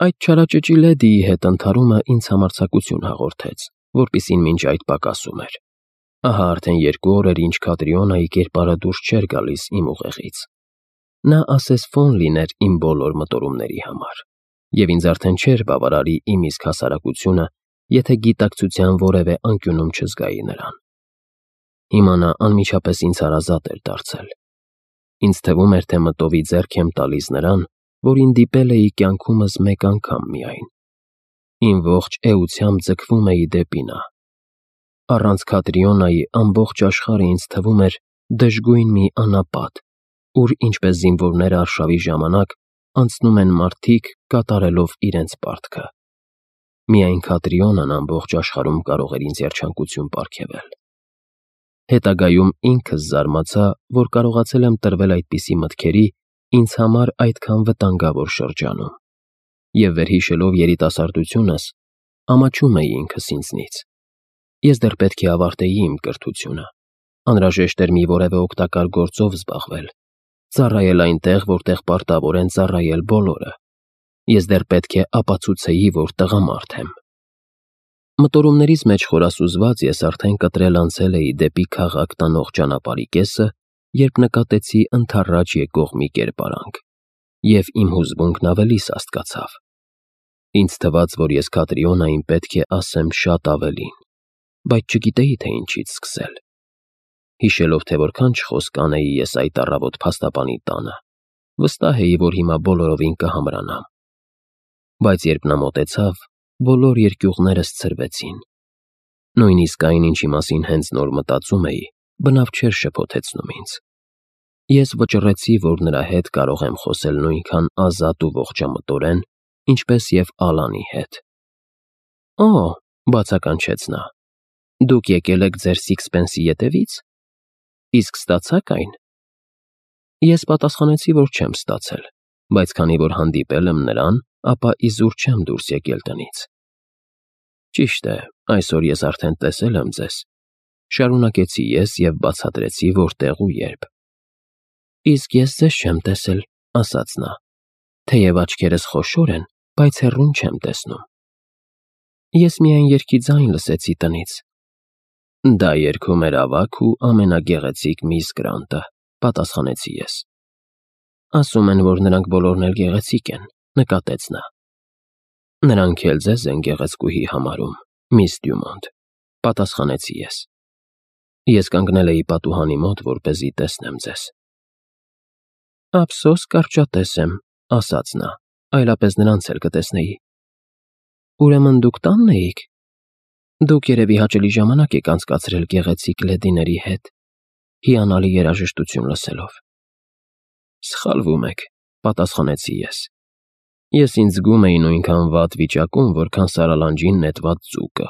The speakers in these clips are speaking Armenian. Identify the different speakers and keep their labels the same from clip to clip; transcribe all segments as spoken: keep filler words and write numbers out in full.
Speaker 1: Այդ չարաճճի լեդիի հետ ընդհարումը ինձ համարձակություն հաղորդեց, որպիսին մինչ այդ պակասում էր։ Ահա արդեն երկու օր էր, ինչ Կատրիոնայի կերպարը դուրս չէր գալիս իմ ուղեղից։ Նա ասես ֆոն լիներ իմ բոլոր մտորումների համար, և ինձ արդեն չէր բավարարի իմ իսկ հասարակությունը, եթե գիտակցության որևէ անկյունում չզգայի նրան։ Հիմա նա անմիջապես ինձ հարազատ էր դարձել։ Ինձ թվում էր, թե մտովի ձեռք եմ տալիս նրան, որին դիպել էի կյանքումս մեկ անգամ միայն։ Իմ ողջ էությամբ ձգվում էի դեպի նա։ Առանց Կատրիոնայի ամբողջ աշխարհը ինձ թվում էր դժգույն մի անապատ, ուր, ինչպես զինվորները արշավի ժամանակ, անցնում են մարդիկ, կատարելով իրենց պարտքը։ Միայն Կատրիոնան ամբողջ աշխարհում կարող էր ինձ երջանկություն պարգևել։ Հետագայում ինքս զարմացա, որ կարողացել եմ տրվել այդպիսի մտքերի ինձ համար այդքան վտանգավոր շրջանում, և վերհիշելով երիտասարդությունս, ամաչում էի ինքս ինձնից։ Ես դեռ պետք է ավարտեի իմ կրթությունը, անհրաժեշտ էր մի որևէ օգտակար գործով զբաղվել, ծառայել այնտեղ, որտեղ պարտավոր են ծառայել բոլորը։ Ես դեռ պետք է ապացուցեի, որ տղամարդ եմ։ Մտորումներիս մեջ խորասուզված ես արդեն կտրել անցել էի դեպի քաղաք տանող ճանապարհի կեսը, երբ նկատեցի ընդառաջ եկող մի կերպարանք, և իմ հուզմունքն ավելի սաստկացավ։ Ինձ թվաց, որ ես Կատրիոնային պետք է ասեմ շատ ավելին, բայց չգիտեի, թե ինչից սկսել։ Հիշելով, թե որքան չխոսք կանեի ես այդ առավոտ փաստաբանի տանը, վստահ էի, որ հիմա բոլորովին կհամրանամ։ Բայց երբ նա մոտեցավ, բոլոր երկյուղներս ցրվեցին։ Նույնիսկ այն, ինչի մասին հենց նոր մտածում էի, բնավ չէր շփոթեցնում ինձ։ Ես վճռեցի, որ նրա հետ կարող եմ խոսել նույնքան ազատ ու ողջամտորեն, ինչպես և Ալանի հետ։ «Օ՜», բացականչեց նա, «դուք եկել եք ձեր Սիքսփենսի ետևից։ Իսկ ստացա՞ք այն»։ Ես պատասխանեցի, որ չեմ ստացել, բայց քանի որ հանդիպել եմ նրան, ապա իզուր չեմ դուրս եկել տնից։ «Ճիշտ է, այսօր ես արդեն տեսել եմ ձեզ», շարունակեցի ես և բացատրեցի որտեղ ու երբ։ «Իսկ ես ձեզ չեմ տեսել», ասաց նա, «թեև աչքերս խոշոր են, բայց հեռուն չեմ տեսնում»։ Ես միայն երգի ձայն լսեցի տնից։ «Դա երգում էր ավագ ու ամենագեղեցիկ միս Գրանտը», պատասխանեցի ես։ «Ասում են, որ նրանք բոլորն էլ գեղեցիկ են», նկատեց նա։ «Նրանք էլ ձեզ են գեղեցկուհի համարում, միս Դյումոնտ», պատասխանեցի ես։ Ես կանգնել էի պատուհանի մոտ, որպեսզի տեսնեմ ձեզ։ «Ափսոս կարճատես եմ», ասաց նա, «այլապես նրանց էլ կտեսնեի»։ «Ուրեմն դուք տանն էիք։ Դուք երևի հաճելի ժամանակ եք անցկացրել գեղեցիկ լեդիների հետ, հիանալի երաժշտություն լսելով»։ «Սխալվում եք», պատասխանեցի ես։ Ես ինձ զգում էի նույնքան վատ վիճակում, որքան սարալանջին նետված ձուկը։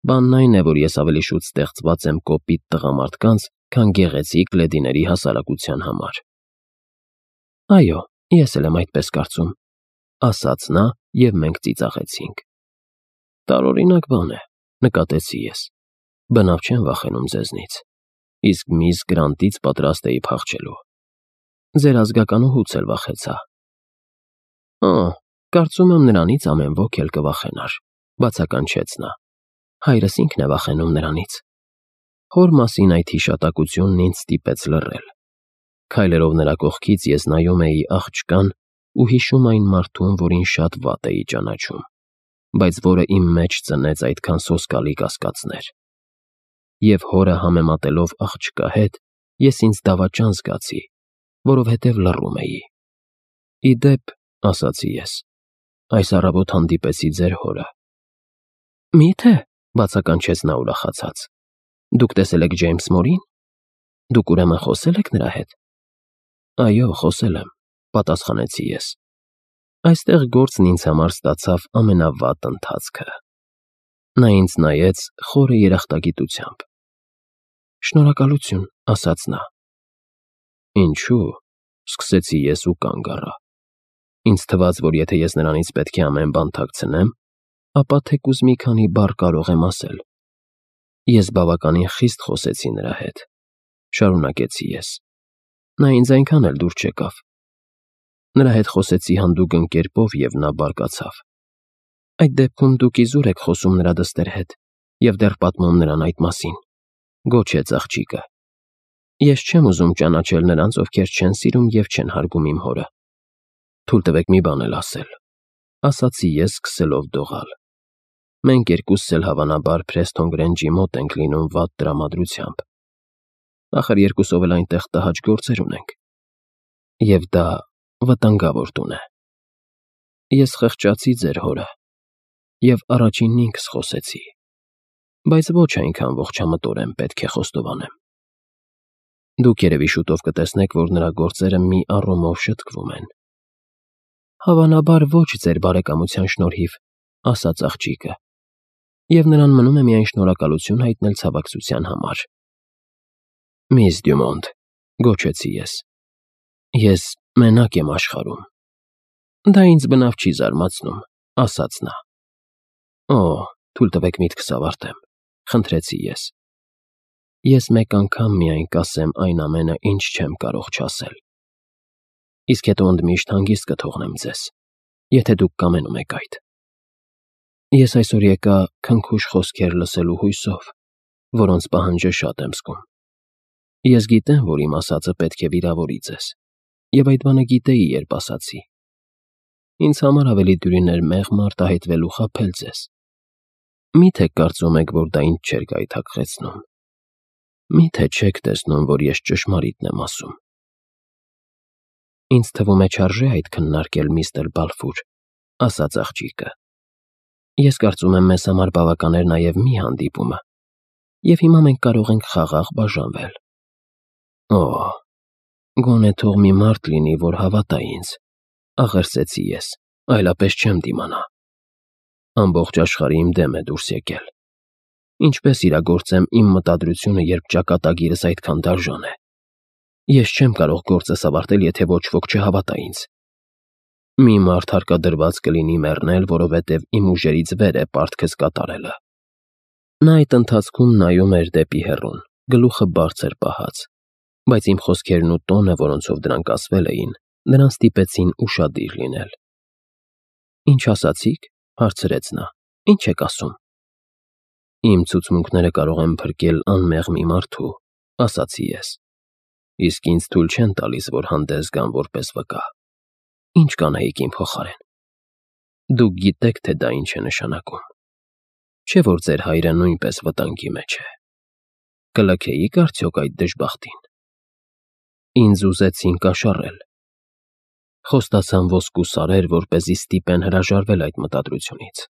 Speaker 1: Բանն այն է, որ ես ավելի շուտ ստեղծված եմ կոպիտ տղամարդկանց, քան գեղեցիկ լեդիների հասարակության համար։ «Այո, ես էլ եմ այդպես կարծում», ասաց նա, և մենք ծիծաղեցինք։ «Տարօրինակ բան է», նկատեցի ես։ «Բնավ չեմ վախենում ձեզնից, իսկ միս Գրանտից պատրաստ էի փախչելու։ Ձեր ազգականուհուց էլ վախեցա»։ «Օ, կարծում եմ նրանից ամեն ոք էլ կվախենար», բացականչեց նա։ «Հայրս ինքն է վախենում նրանից»։ Հոր մասին այդ հիշատակությունն ինձ ստիպեց լռել։ Քայլելով նրա կողքից ես նայում էի աղջկան ու հիշում այն մարդուն, որին շատ վատ էի ճանաչում, բայց որը իմ մեջ ծնեց այդքան սոսկալի կասկածներ։ Եվ հորը համեմատելով աղջկա հետ, ես ինձ դավաճան զգացի, որովհետև լռում էի։ «Ի դեպ», ասացի ես, «այս առավոտ հանդիպեցի ձեր հորը»։ «Մի՞թե», բացականչեց նա ուրախացած, «Դուք տեսել եք Ջեյմս Մորին։ Դուք ուրեմն խոսել եք նրա հետ»։ «Այո, խոսել եմ», պատասխանեցի ես։ Այստեղ գործն ինձ համար ստացավ ամենավատ ընթացքը։ Նա ինձ նայեց խորը երախտագիտությամբ։ «Շնորհակալություն», ասաց նա։ «Ինչու՞», սկսեցի ես ու կանգ առա։ Ինձ թվաց, որ եթե ես նրանից պետք է ամեն բան թաքցնեմ, ապա թեկուզ մի քանի բառ կարող եմ ասել։ Ես բավականին խիստ խոսեցի նրա հետ, շարունակեցի ես։ Նա ինձ այնքան էլ դուր չեկավ։ Նրա հետ խոսեցի հանդուգն կերպով և նա բարկացավ։ Այդ դեպքում դուք իզուր եք խոսում նրա դստեր հետ և դեռ պատմում նրան այդ մասին, գոչեց աղջիկը։ Ես չեմ ուզում ճանաչել նրանց, ովքեր չեն սիրում և չեն հարգում իմ հորը։ Թույլ տվեք մի բան էլ ասել, ասացի ես սկսելով դողալ։ Մենք երկուսս էլ հավանաբար Փրեսթոն Գրենջի մոտ ենք լինում վատ տրամադրությամբ։ Ախր երկուսով էլ այնտեղ տհաճ գործեր ունենք։ Եվ դա վտանգավոր տուն է։ Ես խղճացի ձեր հորը և առաջինն ինքս խոսեցի, բայց ոչ այնքան ողջամտորեն պետք է խոստովանեմ։ Դուք երևի շուտով կտեսնեք, որ նրա գործերը մի առումով շտկվում են։ Հավանաբար ոչ ձեր բարեկամության շնորհիվ, ասաց աղջիկը, և նրան մնում է միայն շնորհակալություն հայտնել ցավակցության համար։ Միս Դյումոնտ, գոչեցի ես, ես մենակ եմ աշխարհում։ Դա ինձ բնավ չի զարմացնում, ասաց նա։ Օ, թույլ տվեք միտքս ավարտեմ, խնդրեցի ես։ Ես մեկ անգամ միայն կասեմ այն ամենը, ինչ չեմ կարող չասել։ Իսկ հետո ընդմիշտ հանգիստ կթողնեմ ձեզ, եթե դուք կամենում եք այդ։ Ես այսօր եկա քնքուշ խոսքեր լսելու հույսով, որոնց պահանջը շատ եմ զգում։ Ես գիտեմ, որ իմ ասածը պետք է վիրավորի ձեզ, և այդ բանը գիտեի, երբ ասացի։ Ինձ համար ավելի դյուրին էր մեղմ արտահայտվել ու խաբել ձեզ։ Մի՞թե կարծում եք, որ դա ինձ չէր գայթակղեցնում։ Մի՞թե չեք տեսնում, որ ես ճշմարիտն եմ ասում։ Ինձ թվում է չարժե այդ քննարկել, միստր Բալֆուր, ասաց աղջիկը։ Ես կարծում եմ, մեզ համար բավական էր նաև մի հանդիպումը, և հիմա մենք կարող ենք խաղաղ բաժանվել։ Օ, գոնե թող մի մարդ լինի, որ հավատա ինձ, աղերսեցի ես, այլապես չեմ դիմանա։ Ամբողջ աշխարհը իմ դեմ է դուրս եկել։ Ինչպես իրագործեմ իմ մտադրությունը, երբ ճակատագիրս այդքան դաժան է։ Ես չեմ կարող գործս ավարտել, եթե ոչ ոք չհավատա ինձ։ Մի մարդ հարկադրված կլինի մեռնել, որովհետև իմ ուժերից վեր է պարտքս կատարելը։ Նա այդ ընթացքում նայում էր դեպի հեռուն, գլուխը բարձր պահած, բայց իմ խոսքերն ու տոնը, որոնցով դրանք ասվել էին, նրան ստիպեցին ուշադիր լինել։ Ինչ ասացիք, հարցրեց նա, ինչ եք ասում։ Իմ ցուցմունքները կարող են փրկել անմեղ մի մարդու, ասացի ես, իսկ ինձ թույլ չեն տալիս, որ հանդես գամ որպես վկա։ Ինչ կանեիք իմ փոխարեն։ Դուք գիտեք, թե դա ինչ է նշանակում։ Չէ՞ որ ձեր հայրը նույնպես վտանգի մեջ է։ Կլքեիք արդյոք այդ դժբախտին։ Ինձ ուզեցին կաշառել։ Խոստացան ոսկու սարեր, որպեսզի ստիպեն հրաժարվել այդ մտադրությունից։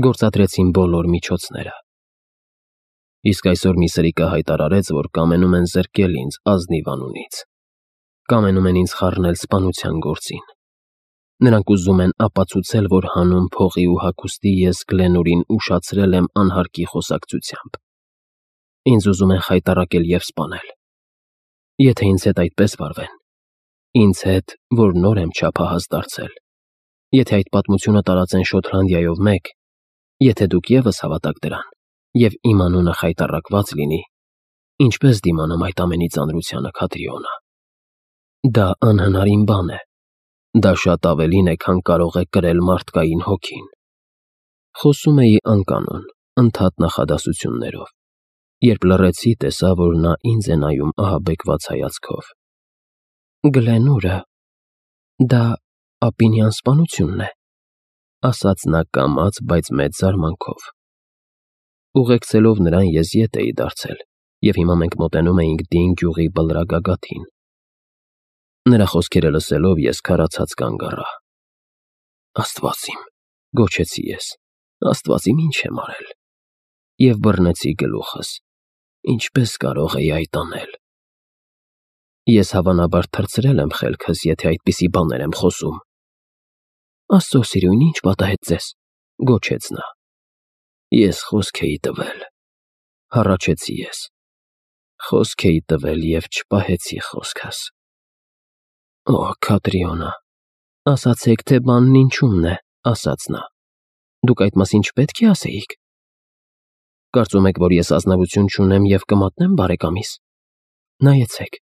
Speaker 1: Գործադրեցին բոլոր միջոցները։ Իսկ այսօր մի սրիկը հայտարարեց, որ կամենում են զրկել ինձ ազնիվ անունից։ Կամենում են ինձ խառնել սպանության գործին։ Նրանք ուզում են ապացուցել, որ հանուն փողի ու հագուստի ես Գլենուրին ուշացրել եմ անհարկի խոսակցությամբ։ Ինձ ուզում են խայտառակել և սպանել։ Եթե ինձ հետ այդպես վարվեն, ինձ հետ, որ նոր եմ չափահաս դարձել, եթե այդ պատմությունը տարածեն Շոթլանդիայով մեկ, եթե դուք ևս հավատաք դրան, և իմ անունը խայտառակված լինի, ինչպես դիմանամ այդ ամենի ծանրությանը, Քատրիոնա։ Դա անհնարին բան է։ Դա շատ ավելին է, քան կարող է կրել մարդկային հոգին։ Խոսում էի անկանոն, ընդհատ նախադասություններով, երբ լռեցի, տեսա, որ նա ինձ է նայում ահաբեկված հայացքով։ Գլենուրը, դա ապինյան սպանությունն է, ասաց նա կամաց, բայց մեծ զարմանքով։ Ուղեկցելով նրան ես ետ էի դարձել, և հիմա մենք մոտենում էինք Դին գյուղի բլրագագաթին։ Նրա խոսքերը լսելով ես քարացած կանգ առա։ Աստված իմ, գոչեցի ես, Աստված իմ, ինչ եմ արել։ Եվ բռնեցի գլուխս։ Ինչպես կարող էի այդ անել։ Ես հավանաբար թռցրել եմ խելքս, եթե այդպիսի բաներ եմ խոսում։ Աստծո սիրուն, ինչ պատահեց ձեզ, գոչեց նա։ Ես խոսք էի տվել, հառաչեցի ես։ Խոսք էի տվել և չպահեցի խոսքս։ Օ, Քատրիոնա, ասացեք, թե բանն ինչումն է, ասաց նա։ Դուք այդ մասին չպետք է ասեիք։ Կարծում եք, որ ես ազնվություն չունեմ և կմատնեմ բարեկամիս։ Նայեցեք,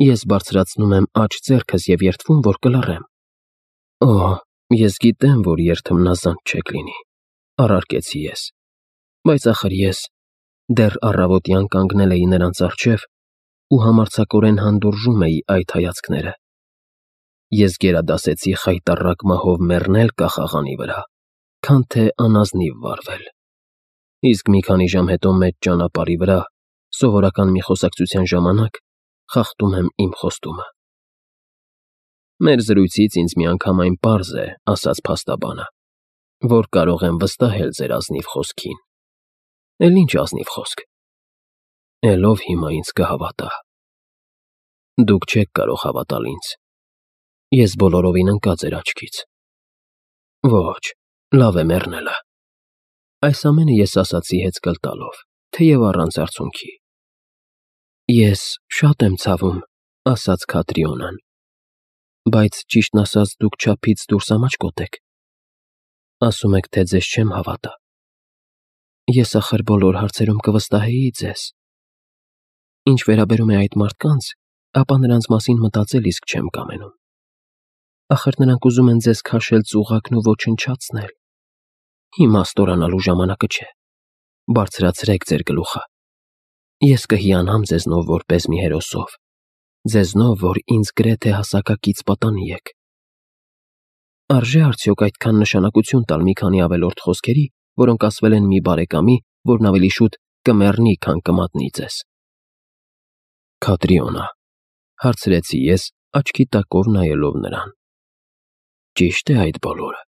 Speaker 1: ես բարձրացնում եմ աջ ձեռքս և երդվում, որ կլռեմ։ Օ, ես գիտեմ, որ երթմնազանդ չեք լինի, առարկեցի ես, բայց ախր ես դեռ առավոտյան կանգնել էի նրանց առջև ու համարձակորեն հանդուրժում էի այդ հայացքները։ Ես գերադասեցի խայտառակ մահով մեռնել կախաղանի վրա, քան թե անազնիվ վարվել։ Իսկ մի քանի ժամ հետո մեծ ճանապարհի վրա, սովորական մի խոսակցության ժամանակ, խախտում եմ իմ խոստումը։ Մեր զրույցից ինձ միանգամայն պարզ է, ասաց փաստաբանը, որ կարող եմ վստահել ձեր ազնիվ խոսքին։ Էլ ինչ ազնիվ խոսք։ Էլ ով հիմա ինձ կհավատա։ Դուք չեք կարող հավատալ ինձ։ Ես բոլորովին ընկա ձեր աչքից։ Ոչ, լավ է մեռնելը։ Այս ամենը ես ասացի հեծկլ տալով, թեև առանց արցունքի։ Ես շատ եմ ցավում, ասաց Քատրիոնան, բայց ճիշտն ասած դուք չափից դուրս ամաչկոտ եք։ Ասում եք, թե ձեզ չեմ հավատա։ Ես ախր բոլոր հարցերում կվստահեի ձեզ։ Ինչ վերաբերում է այդ մարդկանց, ապա նրանց մասին մտածել իսկ չեմ կամենում։ Ախր նրանք ուզում են ձեզ քաշել ծուղակն ու ոչնչացնել։ Հիմա ստորանալու ժամանակը չէ։ Բարձրացրեք ձեր գլուխը։ Ես կհիանամ ձեզնով որպես մի հերոսով, ձեզնով, որ ինձ գրեթե հասակակից պատանի եք։ Արժե արդյոք այդքան նշանակություն տալ մի քանի ավելորդ խոսքերի, որոնք ասվել են մի բարեկամի, որն ավելի շուտ կմեռնի, քան կմատնի ձեզ։ Քատրիոնա, հարցրեցի ես, աչքի տակով նայելով նրան։ Ճիշտ է այդ բոլորը։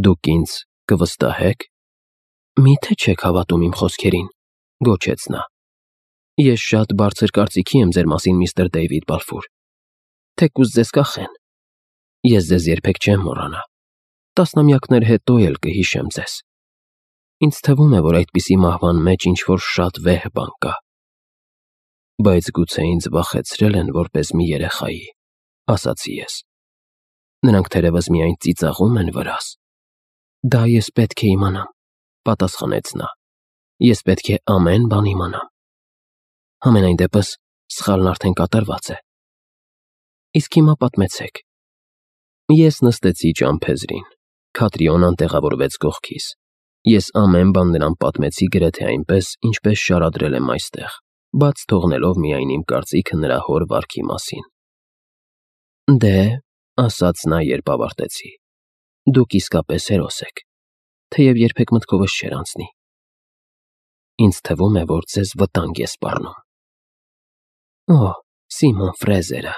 Speaker 1: Դուք ինձ կվստահեք։ Միթե չեք հավատում իմ խոսքերին, գոչեց նա։ Ես շատ բարձր կարծիքի եմ ձեր մասին, միստր Դեյվիդ Բալֆուր։ Թեկուզ ձեզ կախեն։ Ես ձեզ երբեք չեմ մոռանա։ Տասնամյակներ հետո էլ կհիշեմ ձեզ։ Ինձ թվում է, որ այդպիսի մահվան մեջ ինչ-որ շատ վեհ բան կա։ Բայց գուցե ինձ վախեցրել են որպես մի երեխայի, ասացի ես։ Նրանք թերևս միայն ծիծաղում են վրաս։ Դա ես պետք է իմանամ, պատասխանեց նա։ Ես պետք է ամեն բան իմանամ։ Համենայն դեպս սխալն արդեն կատարված է։ Իսկ հիմա պատմեցեք։ Ես նստեցի ճամփեզրին, Քատրիոնան տեղավորվեց կողքիս։ Ես ամեն բան նրան պատմեցի գրեթե այնպես, ինչպես շարադրել եմ այստեղ, բաց թողնելով միայն իմ կարծիքը նրա հոր վարքի մասին։ Դե, ասաց նա, երբ ավարտեցի, դուք իսկապես հերոս եք, թեև երբեք մտքովս չէր անցնի։ Ինձ թվում է, որ ձեզ վտանգ է սպառնում։ Օ, Սիմոն Ֆրեզերը,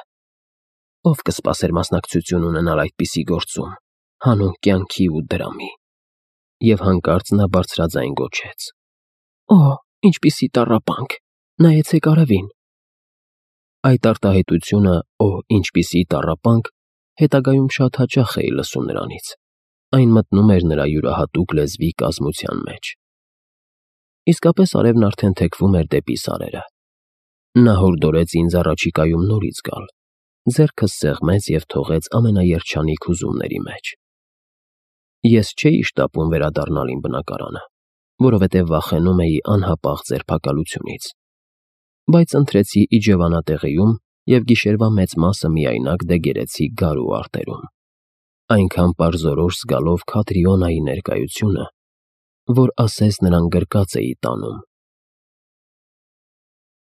Speaker 1: ով կսպասեր մասնակցություն ունենալ այդպիսի գործում, հանուն կյանքի ու դրամի։ Եվ հանկարծ նա բարձրաձայն գոչեց. Օ, ինչպիսի տառապանք, նայեցեք արևին։ Այդ արտահայտությունը, օ, ինչպիսի տառապանք, հետագայում շատ հաճախ էի լսում նրանից։ Այն մտնում էր նրա յուրահատուկ լեզվի կազմության մեջ։ Իսկապես արևն արդեն թեքվում էր դեպի սարերը։ Նա հորդորեց ինձ առաջիկայում նորից գալ, ձեռքս սեղմեց և թողեց ամենաերջանիկ հուզումների մեջ։ Ես չէի շտապում վերադառնալ իմ բնակարանը, որովհետև վախենում էի անհապաղ ձերբակալությունից, բայց ընտրեցի իջևանատեղիում և գիշերվա մեծ մասը միայնակ դեգերեցի գարու արտերում, այնքան պարզորոշ զգալով Քատրիոնայի ներկայությունը, որ ասես նրան գրկած էի տանում